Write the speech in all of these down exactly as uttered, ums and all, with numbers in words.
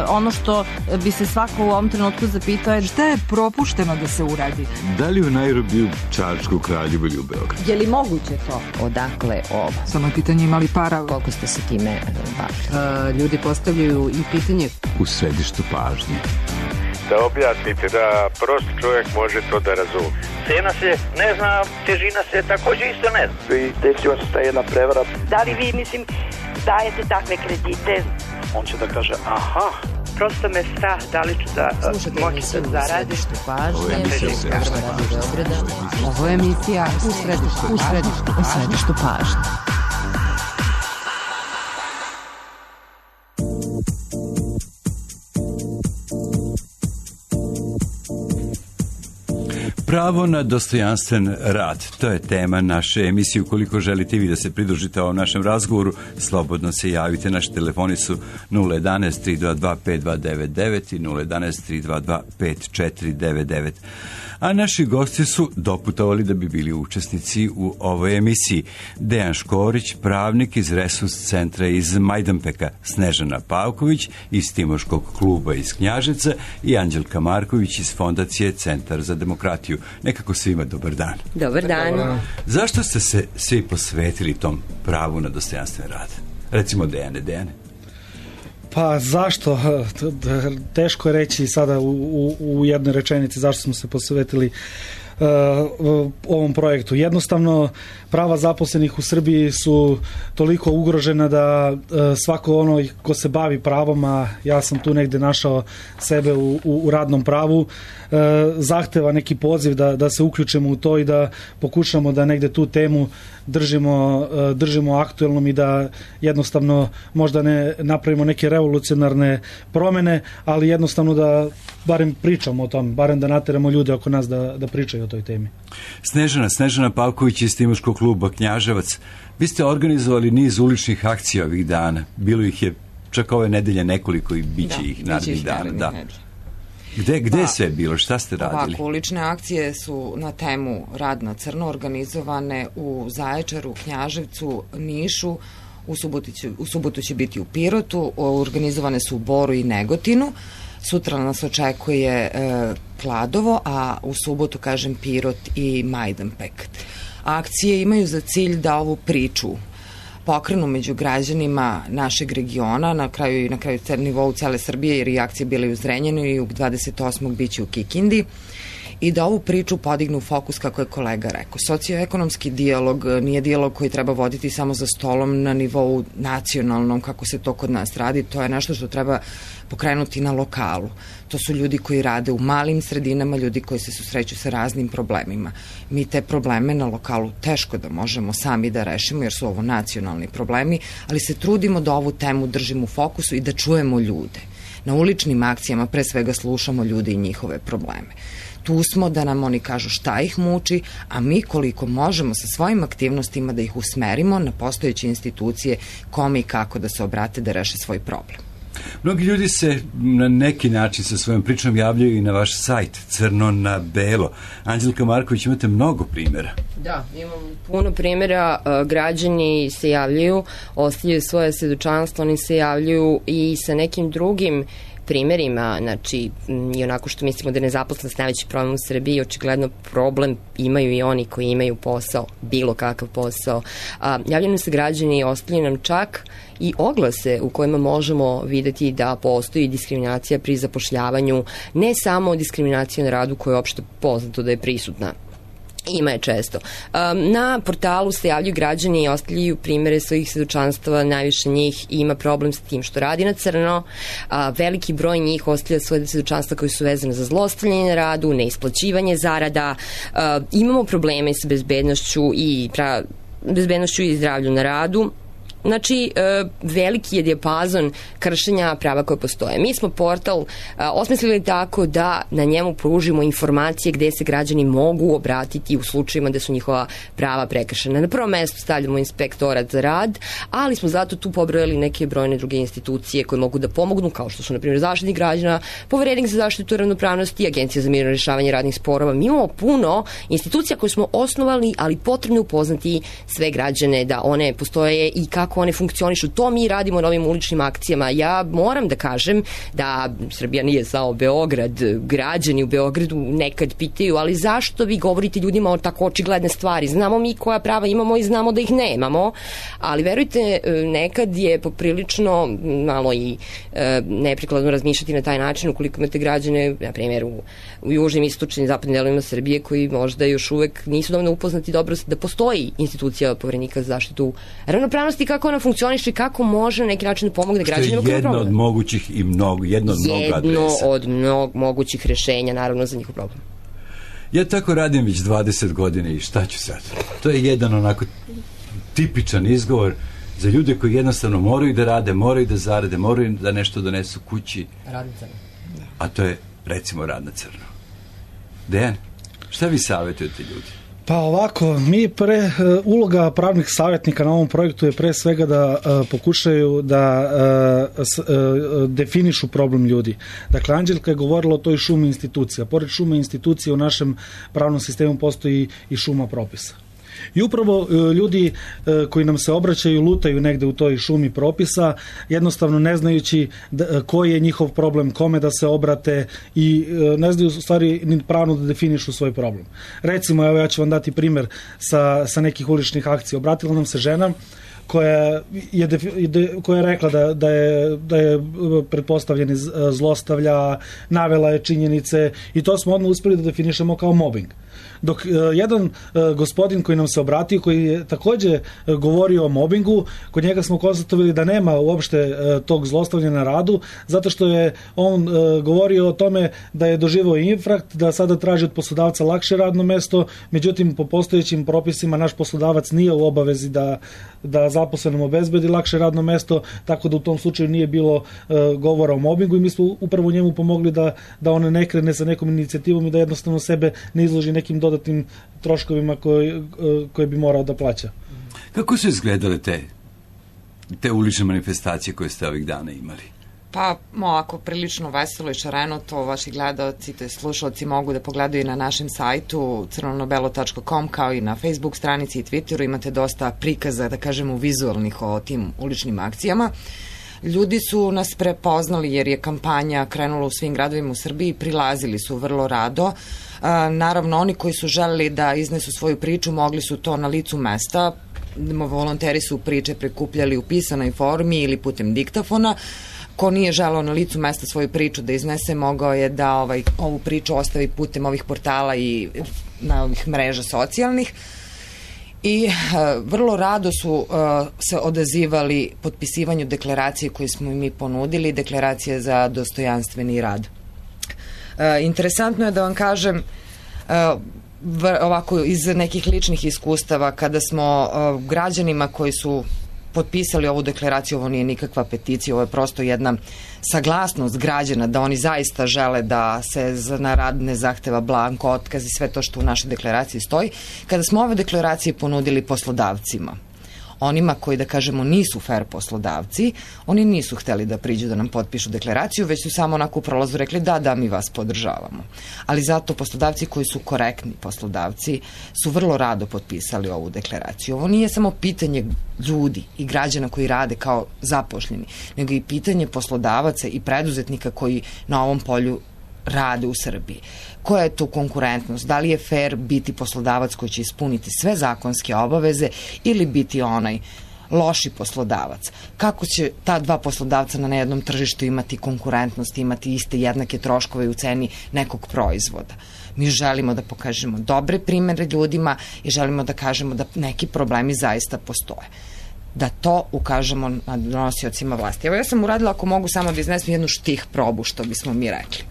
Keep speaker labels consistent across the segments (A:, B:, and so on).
A: ono što bi se svako u ovom trenutku zapitao je šta je propušteno da se uradi.
B: Da li u Nairobiju, Čačku, Kraljevu ili u Beogradu?
A: Je li moguće to?
C: Odakle ovo?
D: Samo je pitanje imali para.
C: Koliko ste se time bavili?
D: Ljudi postavljaju i pitanje
B: U središtu pažnje.
E: Da objasnite, da prosti čovjek može to da razumije.
F: Cena se ne zna, težina se također isto ne zna.
G: I desila se ta jedna prevara.
H: Da li vi, mislim, dajete takve kredite?
F: On će da kaže, aha,
H: prosto me strah da li ću da moći da zaradim.
C: Ovo je emisija
D: Ovo je emisija u središtu
C: u središtu, u središtu pažnje.
I: Pravo na dostojanstven rad, to je tema naše emisije. Ukoliko želite vi da se pridružite ovom našem razgovoru, slobodno se javite. Naši telefoni su nula jedan tri dva dva pet dva devet devet i nula jedan tri dva dva pet četiri devet devet. A naši gosti su doputovali da bi bili učesnici u ovoj emisiji. Dejan Škorić, pravnik iz Resurs centra iz Majdanpeka, Snežana Pavković iz Timoškog kluba iz Knjaževca i Anđelka Marković iz Fondacije Centar za demokratiju. Nekako svima dobar dan.
C: Dobar dan.
I: Zašto ste se svi posvetili tom pravu na dostojanstven rad? Recimo Dejane, Dejane.
J: Pa zašto? Teško je reći sada u, u, u jednoj rečenici zašto smo se posvetili uh, ovom projektu. Jednostavno, prava zaposlenih u Srbiji su toliko ugrožena da uh, svako ono ko se bavi pravom, a ja sam tu negde našao sebe u, u, u radnom pravu, uh, zahteva neki poziv da, da se uključimo u to i da pokušamo da negde tu temu držimo, držimo aktuelnom i da jednostavno možda ne napravimo neke revolucionarne promene, ali jednostavno da barem pričamo o tom, barem da nateramo ljude oko nas da, da pričaju o toj temi.
I: Snežana, Snežana Pavković iz Timoškog kluba Knjaževac. Vi ste organizovali niz uličnih akcija ovih dana. Bilo ih je čak ove nedelje nekoliko i bit će ih narednih dana. Da. Gde, gde pa, sve je bilo? Šta ste radili?
K: Ovako, ulične akcije su na temu rad na crno organizovane u Zaječaru, Knjaževcu, Nišu, u subotu će, u subotu će biti u Pirotu, organizovane su u Boru i Negotinu. Sutra nas očekuje e, Kladovo, a u subotu, kažem, Pirot i Majdanpek. Akcije imaju za cilj da ovu priču pokrenu među građanima našeg regiona, na kraju i na kraju nivou cele Srbije, jer i akcije bile u Zrenjaninu i u dvadeset osmog biće u Kikindi, i da ovu priču podignu u fokus, kako je kolega rekao. Socioekonomski dijalog nije dijalog koji treba voditi samo za stolom na nivou nacionalnom, kako se to kod nas radi. To je nešto što treba pokrenuti na lokalu. To su ljudi koji rade u malim sredinama, ljudi koji se susreću sa raznim problemima. Mi te probleme na lokalu teško da možemo sami da rešimo, jer su ovo nacionalni problemi, ali se trudimo da ovu temu držimo u fokusu i da čujemo ljude. Na uličnim akcijama pre svega slušamo ljude i njihove probleme. Tu smo da nam oni kažu šta ih muči, a mi koliko možemo sa svojim aktivnostima da ih usmerimo na postojeće institucije, kome i kako da se obrate da reše svoj problem.
I: Mnogi ljudi se na neki način sa svojom pričom javljaju i na vaš sajt Crno na belo. Anđelka Marković, imate mnogo primjera.
C: Da, imam puno primjera. Građani se javljaju, ostavljaju svoje svedočanstvo, oni se javljaju i sa nekim drugim primjerima, znači i onako što mislimo da je nezaposlenost najveći problem u Srbiji, očigledno problem imaju i oni koji imaju posao, bilo kakav posao. A, javljaju se građani i ostavljaju nam čak i oglase u kojima možemo videti da postoji diskriminacija pri zapošljavanju, ne samo diskriminacija na radu koja je opšte poznato da je prisutna. Ima je često. Na portalu se javljaju građani i ostavljaju primere svojih svedočanstava, najviše njih ima problem sa tim što radi na crno, veliki broj njih ostavlja svoje svedočanstva koji su vezane za zlostavljanje na radu, neisplaćivanje zarada, imamo probleme sa bezbednošću i pra, bezbednošću i zdravlju na radu. Znači, veliki je dijapazon kršenja prava koje postoje. Mi smo portal osmislili tako da na njemu pružimo informacije gde se građani mogu obratiti u slučajima da su njihova prava prekršena. Na prvom mestu stavljamo inspektorat za rad, ali smo zato tu pobrojali neke brojne druge institucije koje mogu da pomognu, kao što su, na primjer, Zaštitnik građana, Poverenik za zaštitu ravnopravnosti, Agencija za mirno rešavanje radnih sporova. Mi imamo puno institucija koje smo osnovali, ali potrebno upoznati sve građane da one postoje i kako kako one funkcionišu. To mi radimo na ovim uličnim akcijama. Ja moram da kažem da Srbija nije samo Beograd, građani u Beogradu nekad pitaju, ali zašto vi govorite ljudima o tako očigledne stvari? Znamo mi koja prava imamo i znamo da ih nemamo, ali verujte, nekad je poprilično malo i e, neprikladno razmišljati na taj način ukoliko imate građane, na primjer u, u južnim, istočnim, zapadnim delovima Srbije koji možda još uvek nisu dovoljno upoznati dobro da postoji institucija Poverenika za zaštitu ravnopravnosti, kako ona funkcioniše i kako može na neki način da pomogne građanima.
I: Što je jedno od mogućih i mnogo, jedno od mnogo adresa.
C: Jedno od mnogo mogućih rešenja, naravno, za njihov problem.
I: Ja tako radim već dvadeset godina i šta ću sad? To je jedan onako tipičan izgovor za ljude koji jednostavno moraju da rade, moraju da zarade, moraju da nešto donesu kući.
C: Rad na crno.
I: A to je, recimo, rad na crno. Dejan, šta vi savjetujete ljudi?
J: Pa ovako, mi pre, uloga pravnih savjetnika na ovom projektu je pre svega da uh, pokušaju da uh, s, uh, definišu problem ljudi. Dakle, Anđelka je govorila o toj šumi institucija. Pored šume institucija u našem pravnom sistemu postoji i šuma propisa. I upravo ljudi koji nam se obraćaju lutaju negde u toj šumi propisa, jednostavno ne znajući da, koji je njihov problem, kome da se obrate i ne znaju u stvari ni pravno da definišu svoj problem. Recimo, evo ja ću vam dati primer sa, sa nekih uličnih akcija. Obratila nam se žena koja je, koja je rekla da, da, je, da je pretpostavljeni zlostavlja, navela je činjenice i to smo odmah uspeli da definišemo kao mobbing. Dok uh, jedan uh, gospodin koji nam se obratio, koji je takođe uh, govorio o mobingu, kod njega smo konstatovali da nema uopšte uh, tog zlostavljanja na radu, zato što je on uh, govorio o tome da je doživao infrakt, da sada traži od poslodavca lakše radno mesto, međutim po postojećim propisima naš poslodavac nije u obavezi da, da zaposlenom obezbedi lakše radno mesto, tako da u tom slučaju nije bilo uh, govora o mobingu i mi smo upravo njemu pomogli da, da on ne krene sa nekom inicijativom i da jednostavno sebe ne izloži nekim dodatnim troškovima koje, koje bi morao da plaća.
I: Kako su izgledale te, te ulične manifestacije koje ste ovih dana imali?
K: Pa, ovako, prilično veselo i šareno, to vaši gledalci, te slušalci mogu da pogledaju na našem sajtu crveno-belo tačka com, kao i na Facebook stranici i Twitteru. Imate dosta prikaza, da kažemo, vizualnih o tim uličnim akcijama. Ljudi su nas prepoznali jer je kampanja krenula u svim gradovima u Srbiji, prilazili su vrlo rado. Naravno, oni koji su želeli da iznesu svoju priču, mogli su to na licu mesta. Volonteri su priče prikupljali u pisanoj formi ili putem diktafona. Ko nije želeo na licu mesta svoju priču da iznese, mogao je da ovaj, ovu priču ostavi putem ovih portala i na ovih mreža socijalnih. I uh, vrlo rado su uh, se odazivali potpisivanju deklaracije koju smo mi ponudili, deklaracije za dostojanstveni rad. Uh, interesantno je da vam kažem, uh, v, ovako iz nekih ličnih iskustava, kada smo uh, građanima koji su potpisali ovu deklaraciju, ovo nije nikakva peticija, ovo je prosto jedna saglasnost građana da oni zaista žele da se na rad ne zahteva blanko otkaz i sve to što u našoj deklaraciji stoji. Kada smo ove deklaracije ponudili poslodavcima, onima koji, da kažemo, nisu fair poslodavci, oni nisu hteli da priđu da nam potpišu deklaraciju, već su samo onako u prolazu rekli da, da, mi vas podržavamo. Ali zato poslodavci koji su korektni poslodavci su vrlo rado potpisali ovu deklaraciju. Ovo nije samo pitanje ljudi i građana koji rade kao zapošljeni, nego i pitanje poslodavaca i preduzetnika koji na ovom polju rade u Srbiji. Koja je to konkurentnost? Da li je fair biti poslodavac koji će ispuniti sve zakonske obaveze ili biti onaj loši poslodavac? Kako će ta dva poslodavca na jednom tržištu imati konkurentnost, imati iste jednake troškove u ceni nekog proizvoda? Mi želimo da pokažemo dobre primere ljudima i želimo da kažemo da neki problemi zaista postoje. Da to ukažemo na donosiocima vlasti. Evo ja sam uradila, ako mogu samo da iznesem jednu štih probu, što bismo mi rekli.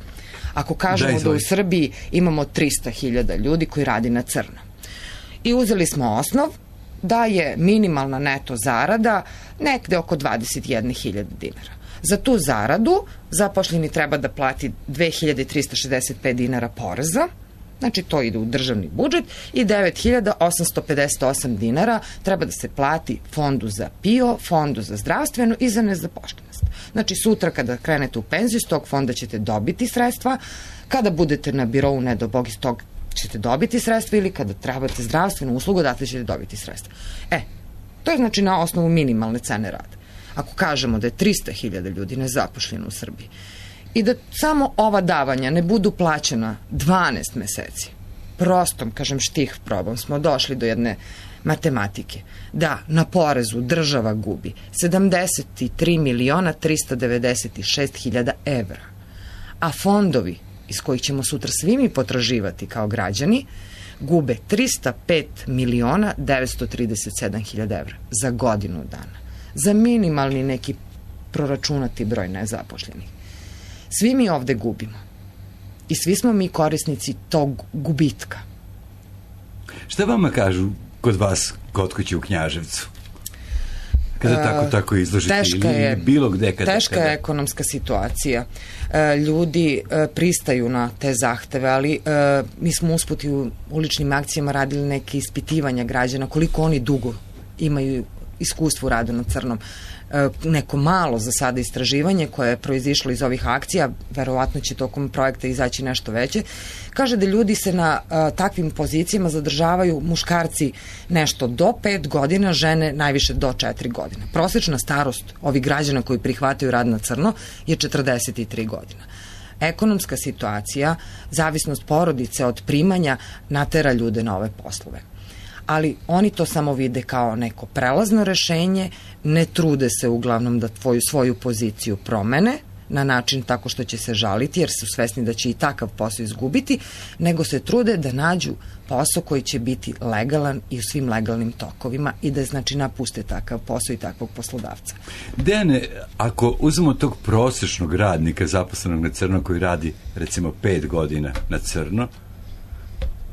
K: Ako kažemo da, da u Srbiji imamo trista hiljada ljudi koji radi na crno. I uzeli smo osnov da je minimalna neto zarada nekde oko dvadeset jedna hiljada dinara. Za tu zaradu zaposleni treba da plati dve hiljade trista šezdeset pet dinara poreza, znači to ide u državni budžet, i devet hiljada osamsto pedeset osam dinara treba da se plati fondu za P I O, fondu za zdravstveno i za nezaposlenost. Znači sutra kada krenete u penziju, iz tog fonda ćete dobiti sredstva, kada budete na birovu, ne do Bog, iz tog ćete dobiti sredstva, ili kada trebate zdravstvenu uslugu, odatle ćete dobiti sredstva. E, To je znači na osnovu minimalne cene rada. Ako kažemo da je trista hiljada ljudi nezaposleno u Srbiji i da samo ova davanja ne budu plaćena dvanaest meseci, prostom, kažem, štih probom, smo došli do jedne matematike, da na porezu država gubi sedamdeset tri miliona trista devedeset šest hiljada evra, a fondovi iz kojih ćemo sutra svi mi potraživati kao građani gube trista pet miliona devetsto trideset sedam hiljada evra za godinu dana, za minimalni neki proračunati broj nezapošljenih. Svi mi ovde gubimo i svi smo mi korisnici tog gubitka.
I: Šta vama kažu kod vas kod kuće u Knjaževcu? Kada tako tako izložite
K: teška
I: ili
K: je,
I: bilo gde kada...
K: Teška kada... je ekonomska situacija. E, ljudi e, pristaju na te zahteve, ali e, mi smo usput i u uličnim akcijama radili neke ispitivanja građana, koliko oni dugo imaju iskustvo u radu na crnom. E, neko malo za sada istraživanje koje je proizišlo iz ovih akcija, verovatno će tokom projekta izaći nešto veće, kaže da ljudi se na a, takvim pozicijama zadržavaju muškarci nešto do pet godina, žene najviše do četiri godine. Prosečna starost ovih građana koji prihvataju rad na crno je četrdeset tri godina. Ekonomska situacija, zavisnost porodice od primanja natera ljude na ove poslove. Ali oni to samo vide kao neko prelazno rešenje, ne trude se uglavnom da tvoju svoju poziciju promene na način tako što će se žaliti, jer su svesni da će i takav posao izgubiti, nego se trude da nađu posao koji će biti legalan i u svim legalnim tokovima i da znači napuste takav posao i takvog poslodavca.
I: Dejane, ako uzmemo tog prosečnog radnika zaposlenog na crno koji radi recimo pet godina na crno,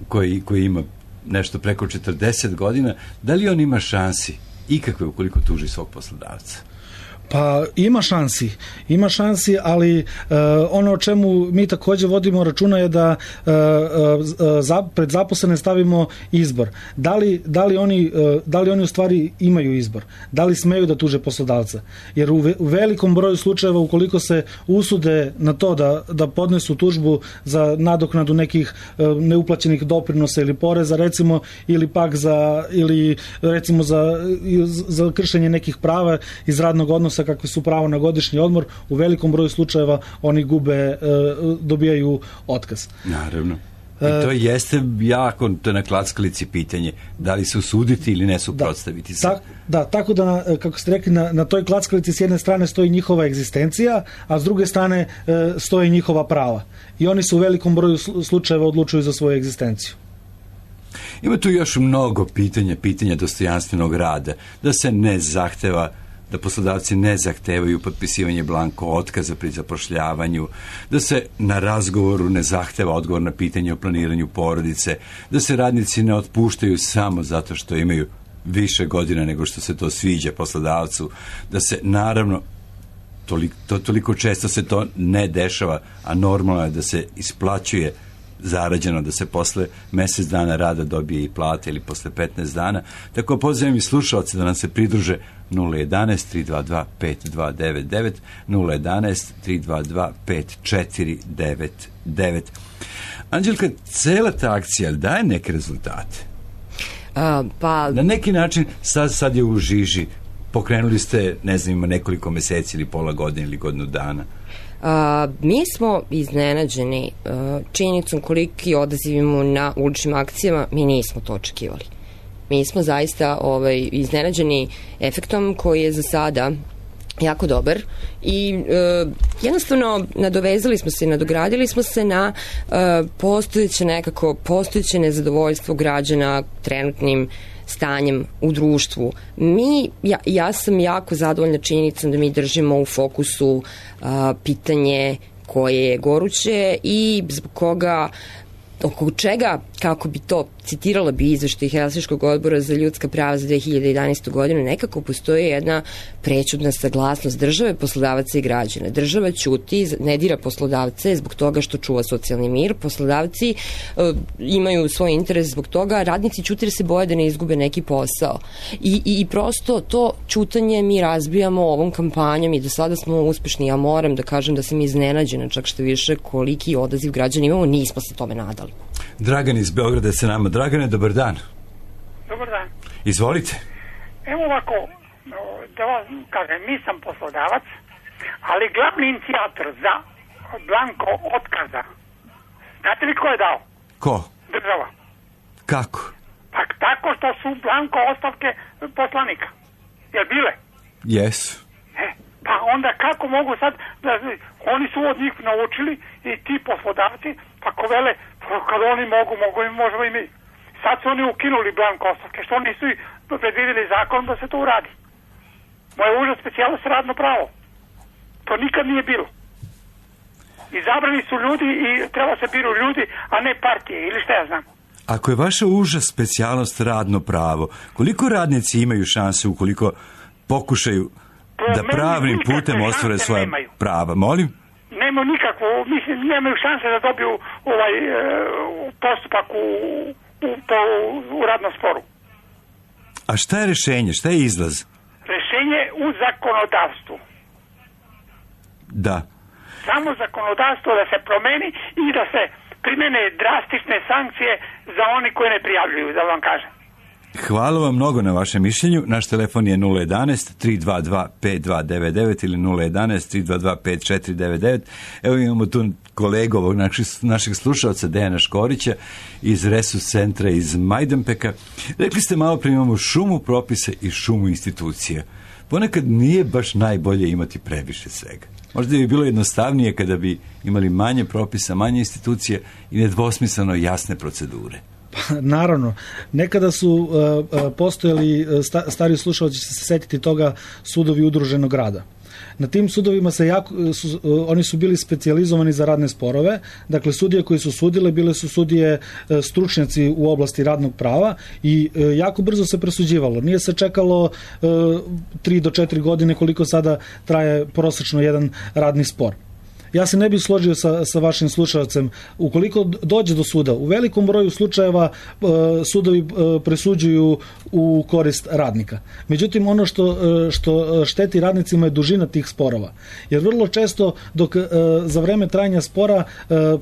I: koji, koji ima nešto preko četrdeset godina, da li on ima šansi ikakve ukoliko tuži svog poslodavca?
J: Pa ima šansi, ima šansi, ali uh, ono o čemu mi takođe vodimo računa je da uh, uh, za, pred zaposlene stavimo izbor. Da li, da, li oni, uh, da li oni u stvari imaju izbor? Da li smeju da tuže poslodavca? Jer u, ve, u velikom broju slučajeva ukoliko se usude na to da, da podnesu tužbu za nadoknadu nekih uh, neuplaćenih doprinosa ili poreza, recimo, ili pak za, ili recimo za, za kršenje nekih prava iz radnog odnosa kakve su pravo na godišnji odmor, u velikom broju slučajeva oni gube, dobijaju otkaz.
I: Naravno. I to jeste jako, to je na klackalici pitanje, da li se usuditi ili ne suprotstaviti se.
J: Da, da, tako da, kako ste rekli, na, na toj klackalici s jedne strane stoji njihova egzistencija, a s druge strane stoji njihova prava. I oni se u velikom broju slučajeva odlučuju za svoju egzistenciju.
I: Ima tu još mnogo pitanja, pitanja dostojanstvenog rada, da se ne zahteva, da poslodavci ne zahtevaju potpisivanje blanko otkaza pri zapošljavanju, da se na razgovoru ne zahteva odgovor na pitanje o planiranju porodice, da se radnici ne otpuštaju samo zato što imaju više godina nego što se to sviđa poslodavcu, da se naravno toliko, to, toliko često se to ne dešava, a normalno je da se isplaćuje zarađeno, da se posle mesec dana rada dobije i plate ili posle petnaest dana. Tako pozivam i slušalce da nam se pridruže nula jedanaest tri dva dva pet dva devet devet, nula jedanaest tri dva dva pet četiri devet devet. Anđelka, cela ta akcija daje neke rezultate?
C: A, pa...
I: Na neki način sad, sad je u žiži. Pokrenuli ste, ne znam, ima nekoliko meseci ili pola godine ili godinu dana.
C: Uh, mi smo iznenađeni uh, činjenicom koliki odaziv imamo na uličnim akcijama, mi nismo to očekivali. Mi smo zaista ovaj, iznenađeni efektom koji je za sada jako dobar i uh, jednostavno nadovezali smo se i nadogradili smo se na uh, postojeće nekako, postojeće nezadovoljstvo građana trenutnim stanjem u društvu. Mi, ja, ja sam jako zadovoljna činjenicom da mi držimo u fokusu a, pitanje koje je goruće i zbog koga, oko čega, kako bi to citirala bi izveštaj Helsinškog odbora za ljudska prava za dve hiljade jedanaestu godinu, nekako postoji jedna prećutna saglasnost države, poslodavaca i građana. Država ćuti, ne dira poslodavce zbog toga što čuva socijalni mir, poslodavci uh, imaju svoj interes zbog toga, radnici ćute jer se boje da ne izgube neki posao. I, i, i prosto to ćutanje mi razbijamo ovom kampanjom i do sada smo uspešni. Ja moram da kažem da sam iznenađena čak što više koliki odaziv građana imamo, nismo se tome nadali.
I: Dragan iz Beograda se nama. Dragane, dobar dan.
L: Dobar dan.
I: Izvolite.
L: Evo ovako, da vam kažem, nisam poslodavac, ali glavni inicijator za blanko otkaza, znate li ko je dao?
I: Ko?
L: Država.
I: Kako?
L: Pa tako što su blanko ostavke poslanika. Jel bile?
I: Jesu.
L: E, pa onda kako mogu sad, da, oni su od njih naučili i ti poslodavci, pa ko vele, kad oni mogu, mogu i možemo i mi. Sad su oni ukinuli blanko ostavke, što nisu i predvidjeli zakon da se to uradi. Moje užas specijalnost radno pravo. To nikad nije bilo. Izabrani su ljudi i treba se biru ljudi, a ne partije, ili šta ja znam.
I: Ako je vaša uža specijalnost radno pravo, koliko radnici imaju šanse ukoliko pokušaju da pravnim putem ostvare svoja nemaju. Prava? Molim?
L: Nemaju nikakvu, mislim, nemaju šanse da dobiju ovaj e, postupak u, u, po, u radnom sporu.
I: A šta je rešenje? Šta je izlaz?
L: Rešenje u zakonodavstvu.
I: Da.
L: Samo zakonodavstvo da se promeni i da se primene drastične sankcije za oni koji ne prijavljuju, da vam kažem.
I: Hvala vam mnogo na vašem mišljenju. Naš telefon je nula jedanaest tri dva dva pet dva devet devet ili nula jedanaest tri dva dva pet četiri devet devet. Evo imamo tu kolegu ovog našeg, našeg slušalca Dejana Škorića iz Resus centra iz Majdanpeka. Rekli ste malo prije imamo šumu propisa i šumu institucija. Ponekad nije baš najbolje imati previše svega. Možda bi bilo jednostavnije kada bi imali manje propisa, manje institucije i nedvosmisleno jasne procedure.
J: Pa, naravno. Nekada su uh, uh, postojali, uh, sta, stari slušalci će se setiti toga, sudovi udruženog rada. Na tim sudovima se jako, su, oni su bili specijalizovani za radne sporove, dakle sudije koji su sudile bile su sudije stručnjaci u oblasti radnog prava i jako brzo se presuđivalo. Nije se čekalo tri do četiri godine koliko sada traje prosečno jedan radni spor. Ja se ne bih složio sa, sa vašim slušalcem. Ukoliko dođe do suda, u velikom broju slučajeva e, sudovi e, presuđuju u korist radnika. Međutim, ono što, e, što šteti radnicima je dužina tih sporova. Jer vrlo često dok e, za vreme trajanja spora e,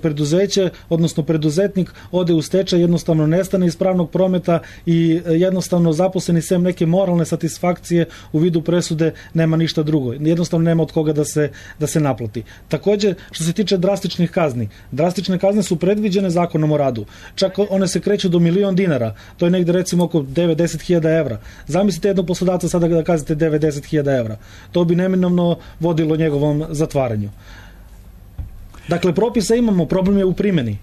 J: preduzeće, odnosno preduzetnik ode u stečaj, jednostavno nestane iz pravnog prometa i e, jednostavno zaposleni sem neke moralne satisfakcije u vidu presude nema ništa drugo. Jednostavno nema od koga da se, da se naplati. Također, što se tiče drastičnih kazni. Drastične kazne su predviđene zakonom o radu. Čak one se kreću do milion dinara. To je negde recimo oko devedeset hiljada evra. Zamislite jednog poslodavca sada da kaznite devedeset hiljada evra. To bi neminovno vodilo njegovom zatvaranju. Dakle, propisa imamo, problem je u primjeni.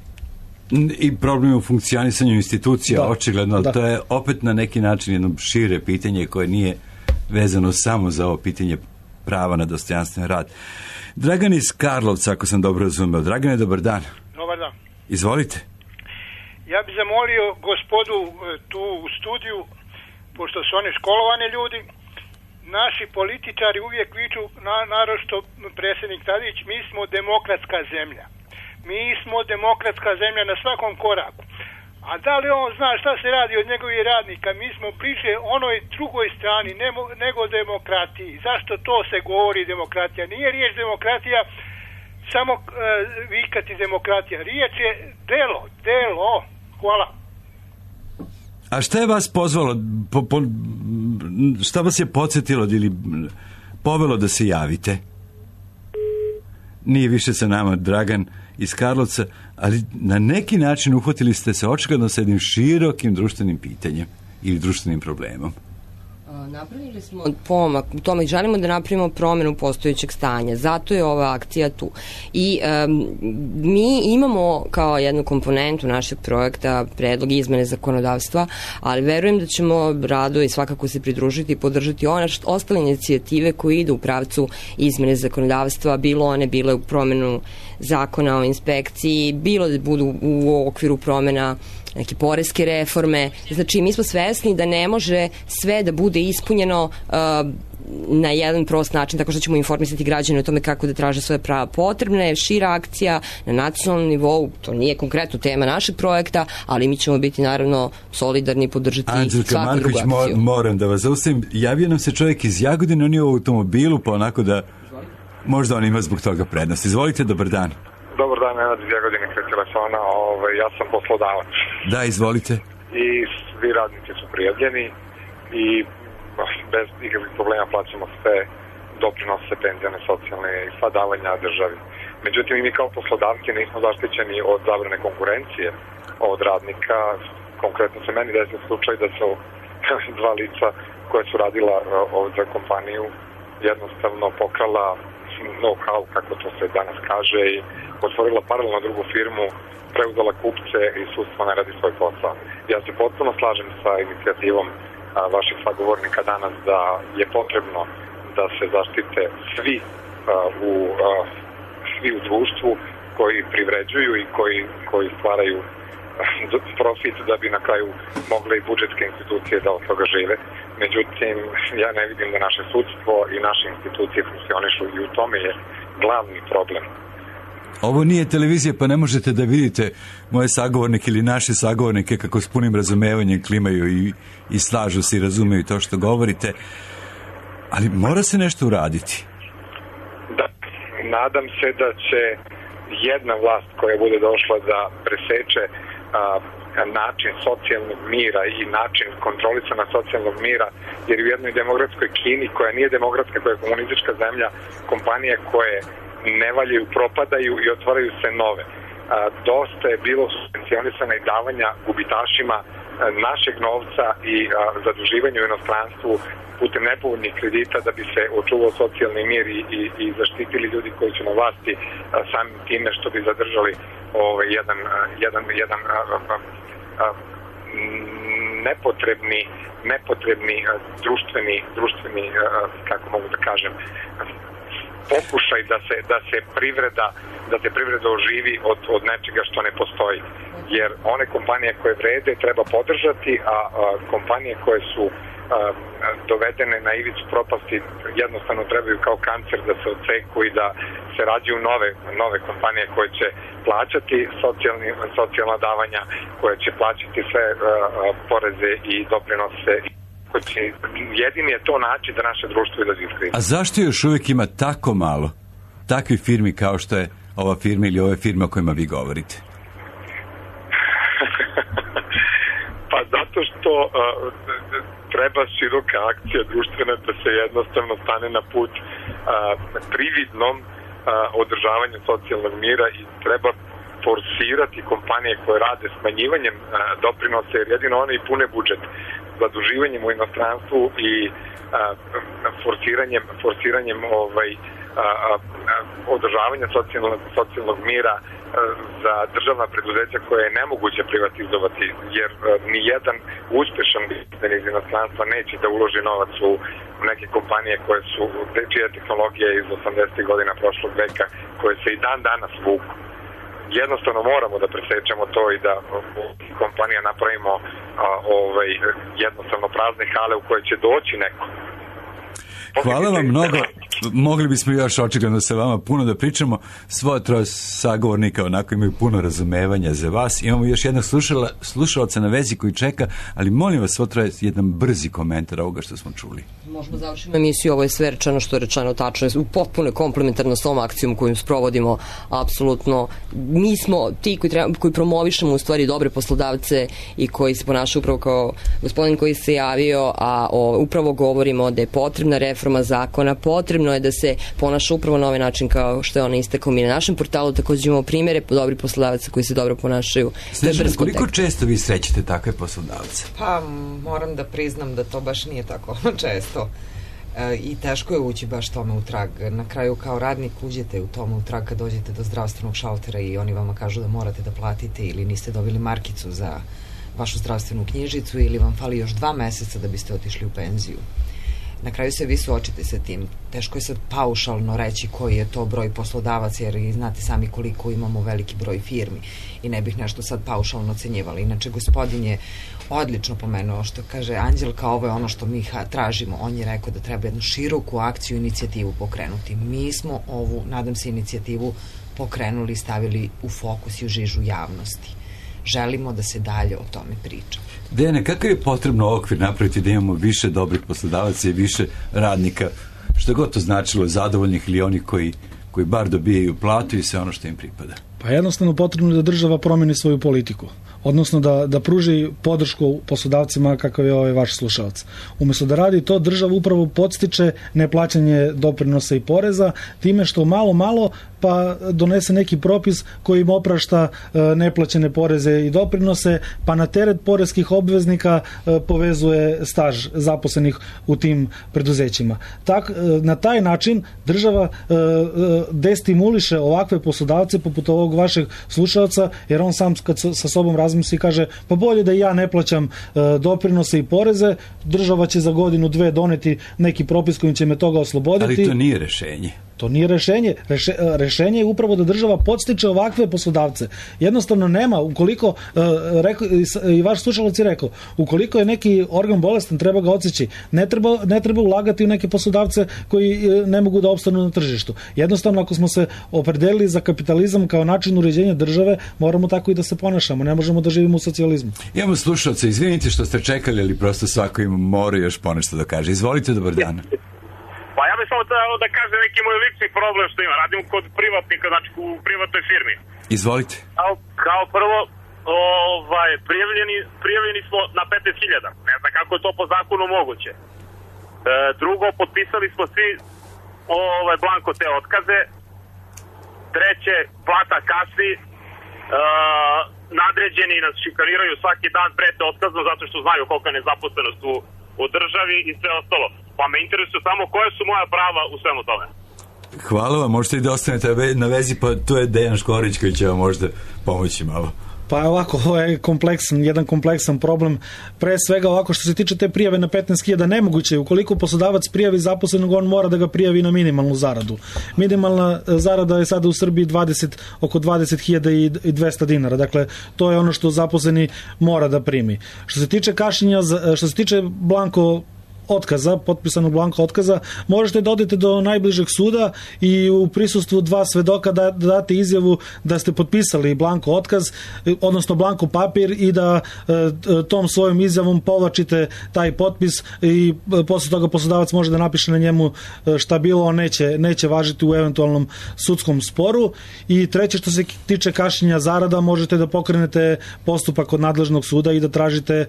I: I problem je u funkcionisanju institucija, da, očigledno. Da. To je opet na neki način jedno šire pitanje koje nije vezano samo za ovo pitanje prava na dostojanstven rad. Dragan iz Karlovca, ako sam dobro razumeo. Dragane, dobar dan.
M: Dobar dan.
I: Izvolite.
M: Ja bih zamolio gospodu tu u studiju, pošto su oni školovani ljudi, naši političari uvijek viču, na, naročito predsjednik Tadić, mi smo demokratska zemlja. Mi smo demokratska zemlja na svakom koraku. A da li on zna šta se radi od njegovih radnika? Mi smo bliže onoj drugoj strani nemo, nego demokratiji. Zašto to se govori demokratija? Nije riječ demokratija samo e, vikati demokratija. Riječ je delo, delo. Hvala.
I: A šta je vas pozvalo, po, po, šta vas je podsjetilo ili povelo da se javite? Nije više sa nama Dragan iz Karlovca, ali na neki način uhvatili ste se očigledno sa jednim širokim društvenim pitanjem ili društvenim problemom.
C: Napravili smo pomak u tome, želimo da napravimo promjenu postojećeg stanja, zato je ova akcija tu. I um, mi imamo kao jednu komponentu našeg projekta predlog izmene zakonodavstva, ali verujem da ćemo rado i svakako se pridružiti i podržati one ostale inicijative koje idu u pravcu izmene zakonodavstva, bilo one bile u promjenu zakona o inspekciji, bilo da budu u okviru promjena neke poreske reforme. Znači, mi smo svesni da ne može sve da bude ispunjeno uh, na jedan prost način, tako što ćemo informisati građane o tome kako da traže svoje prava. Potrebna je šira akcija na nacionalnom nivou, to nije konkretno tema našeg projekta, ali mi ćemo biti naravno solidarni i podržati
I: Anđelka
C: svaku
I: Marković,
C: drugu akciju.
I: Mo, moram da vas zaustavim. Javio nam se čovjek iz Jagodine, on je u automobilu, pa onako da možda on ima zbog toga prednost. Izvolite, dobar dan.
E: Dobar dan, Nenad iz Jagodine kod telefona. Ove, ja sam poslodavac.
I: Da, izvolite.
E: I svi radnici su prijavljeni i
N: bez ikakvih problema plaćamo sve doprinose, penzijane, socijalne i sva davanja državi. Međutim, i mi kao poslodavci nismo zaštićeni od zabrane konkurencije od radnika. Konkretno se meni desio slučaj da su dva lica koja su radila za kompaniju jednostavno pokrala know-how, kako to se danas kaže, i otvorila paralelno drugu firmu, preuzela kupce i sudstvo ne radi svoj posao. Ja se potpuno slažem sa inicijativom a, vaših sagovornika danas da je potrebno da se zaštite svi a, u a, svi u društvu koji privređuju i koji, koji stvaraju profit da bi na kraju mogle i budžetske institucije da od toga žive. Međutim, ja ne vidim da naše sudstvo i naše institucije funkcionišu i u tome je glavni problem.
I: Ovo nije televizija, pa ne možete da vidite moje sagovornike ili naše sagovornike kako s punim razumevanjem klimaju i, i slažu se i razumeju to što govorite. Ali mora se nešto uraditi.
N: Da, nadam se da će jedna vlast koja bude došla da preseče a, način socijalnog mira i način kontrolisana socijalnog mira, jer u jednoj demokratskoj Kini, koja nije demokratska, koja je komunistička zemlja, kompanije koje ne valjaju, propadaju i otvaraju se nove. A, dosta je bilo subvencionisana i davanja gubitašima a, našeg novca i a, zaduživanja u inostranstvu putem nepovoljnih kredita da bi se očuvao socijalni mir i, i, i zaštitili ljudi koji su na vlasti a, samim time što bi zadržali ovaj, jedan, a, jedan, jedan a, a, a, nepotrebni, nepotrebni a, društveni, društveni a, kako mogu da kažem, pokušaj da se, da se privreda da se privreda oživi od, od nečega što ne postoji. Jer one kompanije koje vrede treba podržati, a, a kompanije koje su a, dovedene na ivicu propasti jednostavno trebaju kao kancer da se odseku i da se rađaju nove, nove kompanije koje će plaćati socijalni, socijalna davanja, koje će plaćati sve a, a, poreze i doprinose. Jedini je to način da naše društvo izađe iz krize.
I: A zašto još uvijek ima tako malo takvih firmi kao što je ova firma ili ove firme o kojima vi govorite?
N: Pa zato što uh, treba široka akcija društvena da se jednostavno stane na put uh, prividnom uh, održavanju socijalnog mira i treba forsirati kompanije koje rade smanjivanjem uh, doprinose, jer jedino one i pune budžet, zaduživanjem u inostranstvu i a, forsiranjem, forsiranjem ovaj, a, a, održavanja socijalnog, socijalnog mira a, za državna preduzeća koje je nemoguće privatizovati, jer a, ni jedan uspešan biznis iz inostranstva neće da uloži novac u neke kompanije koje su, čija tehnologija iz osamdesetih godina prošlog veka, koje se i dan danas vuku. Jednostavno moramo da presečemo to i da kompanija napravimo a, ovaj, jednostavno prazne hale u koje će doći neko.
I: Hvala vam mnogo. Mogli bismo još očigledno sa vama puno da pričamo. Svoje troje sagovornika onako imaju puno razumevanja za vas. Imamo još jednog slušala, slušalca na vezi koji čeka, ali molim vas svo troje jedan brzi komentar ovoga što smo čuli.
C: Možemo završiti emisiju, ovo je sve rečeno što je rečeno tačno, u potpuno komplementarno s ovom akcijom koju sprovodimo, apsolutno. Mi smo ti koji, treba, koji promovišemo u stvari dobre poslodavce i koji se ponašaju upravo kao gospodin koji se javio, a o, upravo govorimo da je potrebna reforma zakona, potrebno je da se ponaša upravo na ovaj način kao što je ona istakao. Mi na našem portalu također imamo primere dobrih poslodavaca koji se dobro ponašaju.
I: Snežana, koliko često vi srećete takve poslodavce?
K: Pa moram da priznam da to baš nije tako često. E, i teško je ući baš tome u trag. Na kraju kao radnik uđete u tome u trag kad dođete do zdravstvenog šaltera i oni vama kažu da morate da platite ili niste dobili markicu za vašu zdravstvenu knjižicu ili vam fali još dva meseca da biste otišli u penziju. Na kraju se vi suočite sa tim. Teško je sad paušalno reći koji je to broj poslodavaca, jer znate sami koliko imamo veliki broj firmi i ne bih nešto sad paušalno ocenjivali. Inače, gospodin je odlično pomenuo što kaže Anđelka, ovo je ono što mi tražimo. On je rekao da treba jednu široku akciju, inicijativu pokrenuti. Mi smo ovu, nadam se, inicijativu pokrenuli, stavili u fokus i u žižu javnosti. Želimo da se dalje o tome priča.
I: Dejane, kakav je potrebno okvir napraviti da imamo više dobrih poslodavaca i više radnika, što god to značilo, zadovoljnih ili onih koji, koji bar dobijaju platu i sve ono što im pripada?
J: Pa jednostavno potrebno je da država promeni svoju politiku, odnosno da, da pruži podršku poslodavcima kakav je ovaj vaš slušalac. Umjesto da radi to, država upravo podstiče neplaćanje doprinosa i poreza time što malo malo pa donese neki propis koji im oprašta e, neplaćene poreze i doprinose, pa na teret poreskih obveznika e, povezuje staž zaposlenih u tim preduzećima. Tak, e, na taj način država e, e, destimuliše ovakve poslodavce poput ovog vašeg slušalca, jer on sam kad sa, sa sobom razmisli kaže pa bolje da ja ne plaćam e, doprinose i poreze, država će za godinu dve doneti neki propis kojim će me toga osloboditi.
I: Ali to nije rešenje.
J: To nije rešenje. Reše, rešenje je upravo da država podstiče ovakve poslodavce. Jednostavno nema, ukoliko, reko, i vaš slušalac je rekao, ukoliko je neki organ bolestan, treba ga odseći. Ne treba, ne treba ulagati u neke poslodavce koji ne mogu da opstanu na tržištu. Jednostavno, ako smo se opredelili za kapitalizam kao način uređenja države, moramo tako i da se ponašamo. Ne možemo da živimo u socijalizmu.
I: Imamo slušalce, izvinite što ste čekali, ali prosto svako ima mora još ponešto da kaže. Izvolite, dobar dan.
O: Pa ja bih samo da, da kažem neki moj lični problem što ima. Radim kod privatnika, znači u privatnoj firmi.
I: Izvolite.
O: Kao, kao prvo, ovaj, prijavljeni, prijavljeni smo na petnaest hiljada. Ne znam kako je to po zakonu moguće. E, drugo, potpisali smo svi ovaj, blanko te otkaze. Treće, plata kasni. E, nadređeni nas šikaniraju svaki dan, prete otkazom zato što znaju kolika je nezaposlenost u, u državi i sve ostalo. Pa me interesuje samo koje su moja prava u svemu tome.
I: Hvala vam, možete i da ostanete na vezi, pa to je Dejan Škorić koji će vam možda pomoći malo.
J: Pa ovako, ovo je kompleksan, jedan kompleksan problem. Pre svega ovako što se tiče te prijave na petnaest hiljada, nemoguće je. Ukoliko poslodavac prijavi zaposlenog, on mora da ga prijavi na minimalnu zaradu. Minimalna zarada je sada u Srbiji dvadeset, oko dvadeset hiljada i dvesta dinara. Dakle, to je ono što zaposleni mora da primi. Što se tiče kašnjenja, što se tiče blanko otkaza, potpisanog blanka otkaza, možete da odete do najbližeg suda i u prisustvu dva svedoka da, da date izjavu da ste potpisali blanko otkaz, odnosno blanko papir i da e, tom svojom izjavom povlačite taj potpis i e, posle toga poslodavac može da napiše na njemu šta bilo, on neće, neće važiti u eventualnom sudskom sporu. I treće, što se tiče kašnjenja zarada, možete da pokrenete postupak kod nadležnog suda i da tražite, e,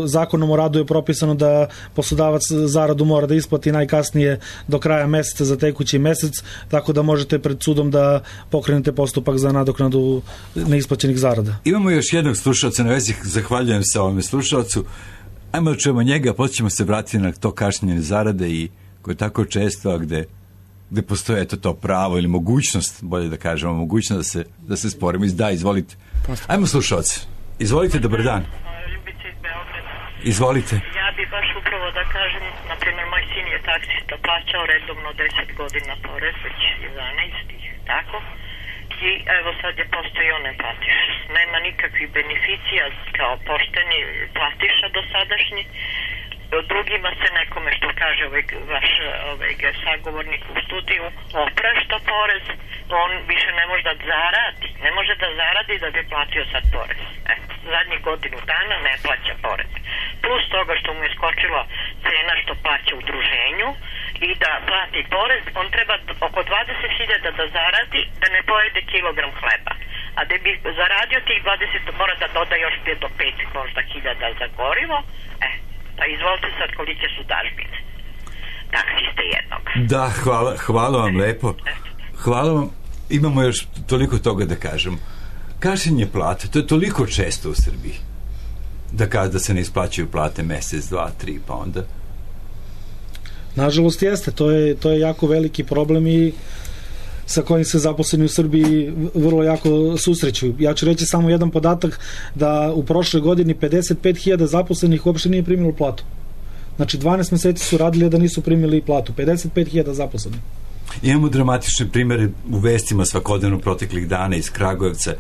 J: zakonom o radu je propisano da poslodavac zaradu mora da isplati najkasnije do kraja meseca za tekući mesec, tako da možete pred sudom da pokrenete postupak za nadoknadu neisplaćenih zarada.
I: Imamo još jednog slušalca na vezi, zahvaljujem se ovome slušalcu. Ajmo da čujemo njega, potom ćemo se vratiti na to kašnjenje zarade i koje je tako često, a gde, gde postoje eto to pravo ili mogućnost, bolje da kažemo, mogućnost da se, da se sporimo. Da, izvolite. Ajmo slušalce. Izvolite, dobar dan. Izvolite.
P: Ja bi baš upravo da kažem, na primjer, moj sin je taksista, plaćao redovno deset godina porez, već jedanaest, tako? I evo sad je postao i on ne platiš. Nema nikakvih beneficija kao pošteni platiša dosadašnji. Drugima se nekome, što kaže ovaj, vaš ovaj, sagovornik u studiju, oprašta porez, on više ne može da zaradi, ne može da zaradi da bi platio sad porez. Eto, zadnjih godinu dana ne plaća porez. Plus toga što mu je skočila cena što plaća u udruženju i da plati porez, on treba oko dvadeset hiljada da zaradi da ne pojede kilogram hleba. A da bi zaradio tih dvadeset, mora da doda još pet do pet možda hiljada za gorivo, e, pa izvolite sad kolike su dažbine. Taksiste jednog.
I: Da, hvala, hvala vam lepo. Hvala vam. Imamo još toliko toga da kažem. Kašnjenje plate, to je toliko često u Srbiji. Da kaže da se ne isplaćaju plate mesec, dva, tri, pa onda...
J: Nažalost jeste, to je, to je jako veliki problem i sa kojim se zaposleni u Srbiji vrlo jako susreću. Ja ću reći samo jedan podatak da u prošloj godini pedeset pet hiljada zaposlenih uopšte nije primilo platu. Znači dvanaest meseci su radili da nisu primili platu. pedeset pet hiljada zaposlenih.
I: Imamo dramatične primere u vestima svakodnevno proteklih dana iz Kragujevca,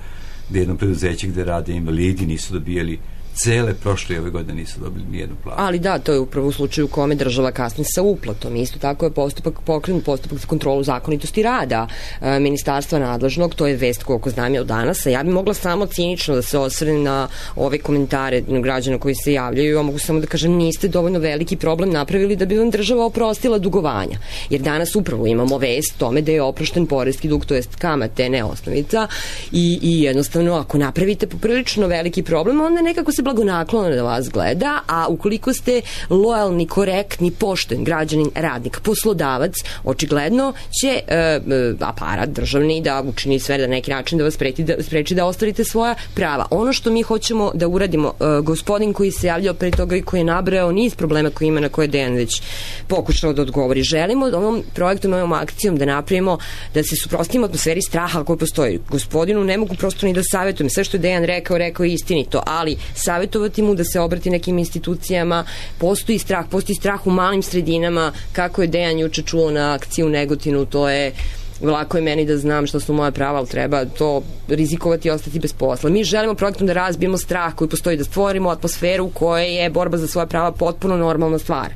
I: gde jedno preduzeće gde rade invalidi nisu dobijali cele prošle ove godine nisu dobili nijednu platu.
C: Ali da, to je upravo u slučaju u kome država kasni sa uplatom. Isto tako je postupak pokrenut postupak za kontrolu zakonitosti rada e, ministarstva nadležnog, to je vest koliko znam je od danas, a ja bi mogla samo cinično da se osvrnem na ove komentare građana koji se javljaju, a mogu samo da kažem niste dovoljno veliki problem napravili da bi vam država oprostila dugovanja. Jer danas upravo imamo vest tome da je oprošten poreski dug, to jest kamate, ne osnovica, i, i jednostavno ako napravite poprilično veliki problem, onda nekako se blagonaklono da vas gleda, a ukoliko ste lojalni, korektni, pošten građanin, radnik, poslodavac, očigledno će e, aparat državni da učini sve da neki način da vas spreči da, spreči da ostvarite svoja prava. Ono što mi hoćemo da uradimo, e, gospodin koji se javljao pre toga i koji je nabrao niz problema koji ima na koje Dejan već pokušao da odgovori. Želimo ovom projektom, ovom akcijom da napravimo, da se suprotstavimo atmosferi straha koji postoji. Gospodinu ne mogu prosto ni da savjetujem. Sve što je Dejan rekao, rekao je istinito, ali savjetovati mu da se obrati nekim institucijama, postoji strah, postoji strah u malim sredinama, kako je Dejan juče čuo na akciji u Negotinu, to je lako je meni da znam što su moja prava, ali treba to rizikovati i ostati bez posla. Mi želimo projektom da razbijemo strah koji postoji, da stvorimo atmosferu u kojoj je borba za svoja prava potpuno normalna stvar.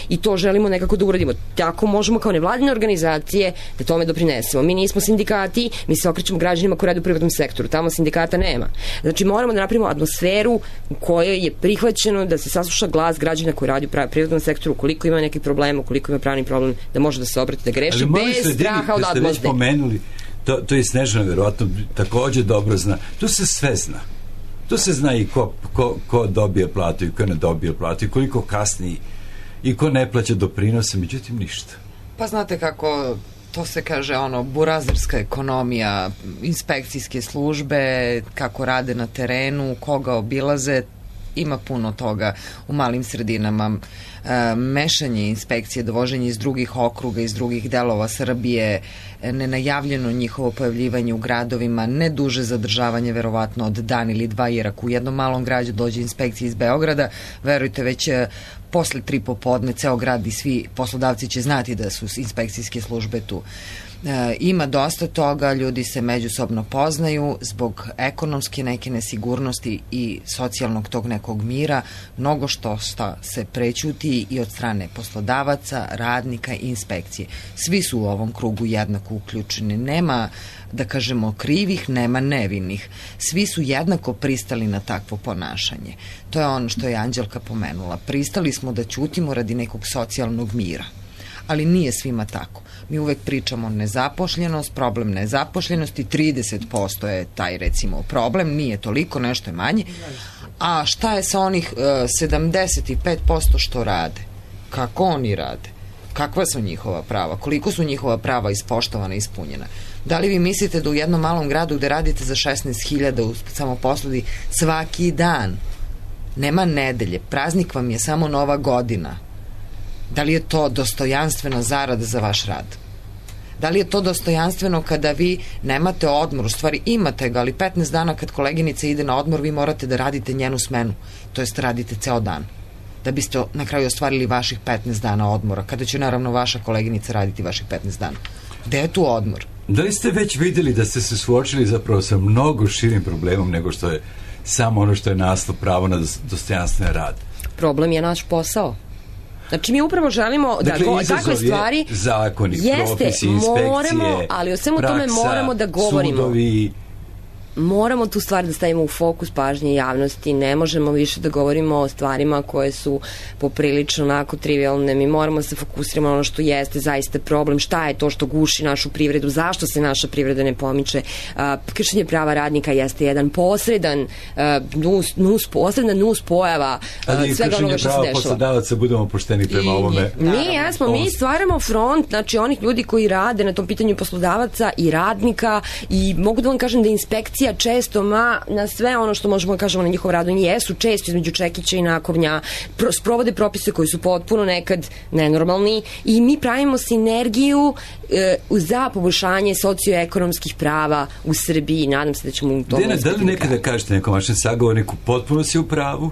C: I to želimo nekako da uradimo. Tako možemo kao nevladine organizacije da tome doprinesemo. Mi nismo sindikati, mi se okrećemo građanima koji rade u privatnom sektoru. Tamo sindikata nema. Znači moramo da napravimo atmosferu u kojoj je prihvaćeno da se sasluša glas građana koji radi u privatnom sektoru, ukoliko ima neki problem, ukoliko ima pravni problem, da može da se obrati, da greši bez straha od odmazde.
I: Pomenuli, to, to je Snežana verovatno takođe dobro zna. Tu se sve zna. Tu se zna i ko, ko, ko dobije platu i ko ne dobije platu i koliko kasni i ko ne plaća doprinose, međutim ništa.
K: Pa znate kako to se kaže, ono, burazerska ekonomija, inspekcijske službe, kako rade na terenu, koga obilaze, ima puno toga u malim sredinama. E, mešanje inspekcije, dovoženje iz drugih okruga, iz drugih delova Srbije, nenajavljeno njihovo pojavljivanje u gradovima, ne duže zadržavanje verovatno od dan ili dva, jer ako u jednom malom gradu dođe inspekcija iz Beograda, verujte već posle tri popodne ceo grad i svi poslodavci će znati da su inspekcijske službe tu. E, ima dosta toga, ljudi se međusobno poznaju zbog ekonomske neke nesigurnosti i socijalnog tog nekog mira, mnogo što sta se prećuti i od strane poslodavaca, radnika i inspekcije. Svi su u ovom krugu jednako uključeni. Nema, da kažemo, krivih, nema nevinih. Svi su jednako pristali na takvo ponašanje. To je ono što je Anđelka pomenula. Pristali smo da ćutimo radi nekog socijalnog mira. Ali nije svima tako. Mi uvek pričamo nezapošljenost, problem nezapošljenosti, trideset posto je taj recimo problem, nije toliko, nešto je manje. A šta je sa onih uh, sedamdeset pet posto što rade? Kako oni rade? Kakva su njihova prava? Koliko su njihova prava ispoštovana i ispunjena? Da li vi mislite da u jednom malom gradu gde radite za šesnaest hiljada u samoposludi svaki dan, nema nedelje, praznik vam je samo Nova godina, da li je to dostojanstvena zarada za vaš rad? Da li je to dostojanstveno kada vi nemate odmor, u stvari imate ga, ali petnaest dana kad koleginica ide na odmor, vi morate da radite njenu smenu, to jest radite ceo dan, da biste na kraju ostvarili vaših petnaest dana odmora, kada će naravno vaša koleginica raditi vaših petnaest dana. Gde je tu odmor?
I: Da li ste već videli da ste se suočili zapravo sa mnogo širim problemom nego što je samo ono što je naslov pravo na dostojanstven rad?
C: Problem je naš posao. Znači mi upravo želimo da
I: dakle,
C: go, takve stvari
I: zakoni,
C: jeste,
I: propisi, inspekcije,
C: moramo, ali o svemu
I: praksa,
C: tome moramo da govorimo.
I: Sudovi.
C: Moramo tu stvar da stavimo u fokus pažnje javnosti, ne možemo više da govorimo o stvarima koje su poprilično onako trivialne, mi moramo da se fokusiramo na ono što jeste zaista problem, šta je to što guši našu privredu, zašto se naša privreda ne pomiče. Kršenje prava radnika jeste jedan posredan nus, nus, posredna nus pojava svega onoga što se dešava. Ali kršenje prava
I: poslodavaca, budemo pošteni prema I, ovome.
C: Mi jesmo, mi stvaramo front, znači onih ljudi koji rade na tom pitanju poslodavaca i radnika i mogu da vam kažem da inspekcija često ma na sve ono što možemo da kažemo na njihov rad, oni jesu često između čekića i nakovnja, pro, sprovode propise koji su potpuno nekad nenormalni i mi pravimo sinergiju e, za poboljšanje socioekonomskih prava u Srbiji. Nadam se da ćemo u tom
I: Dena, da li nekada kažete nekom vašem sagovorniku potpuno si u pravu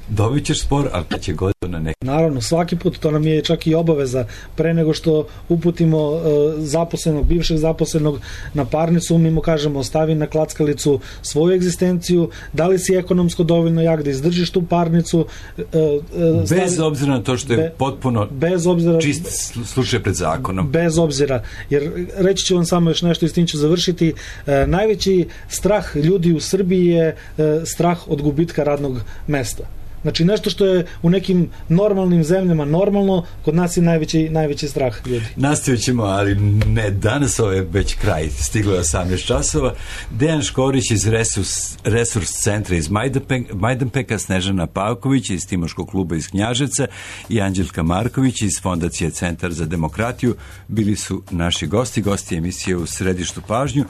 I: dobit ćeš spor, ali kad će god na neki.
J: Naravno, svaki put, to nam je čak i obaveza, pre nego što uputimo uh, zaposlenog, bivšeg zaposlenog na parnicu, mi mu kažemo, stavi na klackalicu svoju egzistenciju, da li si ekonomsko dovoljno jak da izdržiš tu parnicu. Uh, uh, stavi,
I: bez obzira na to što je be, potpuno
J: bez obzira,
I: čist slučaj pred zakonom.
J: Bez obzira, jer reći ću vam samo još nešto i s tim ću završiti. Uh, najveći strah ljudi u Srbiji je uh, strah od gubitka radnog mesta. Znači nešto što je u nekim normalnim zemljama normalno, kod nas je najveći, najveći strah ljudi.
I: Nastavit ćemo, ali ne danas, ovo je već kraj, stiglo je osamnaest časova. Dejan Škorić iz Resurs, Resurs centra iz Majdanpeka, Majdanpeka, Snežana Pavković iz Timoškog kluba iz Knjaževca i Anđelka Marković iz Fondacije Centar za demokratiju bili su naši gosti, gosti emisije U središtu pažnju.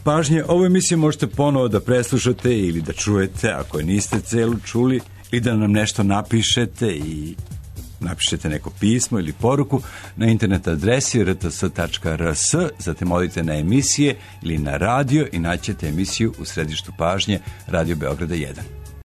I: Pažnje, ovu emisiju možete ponovo da preslušate ili da čujete ako je niste celu čuli, i da nam nešto napišete i napišete neko pismo ili poruku na internet adresi r t s tačka r s, zatim odite na emisije ili na radio i naćete emisiju U središtu pažnje Radio Beograda jedan.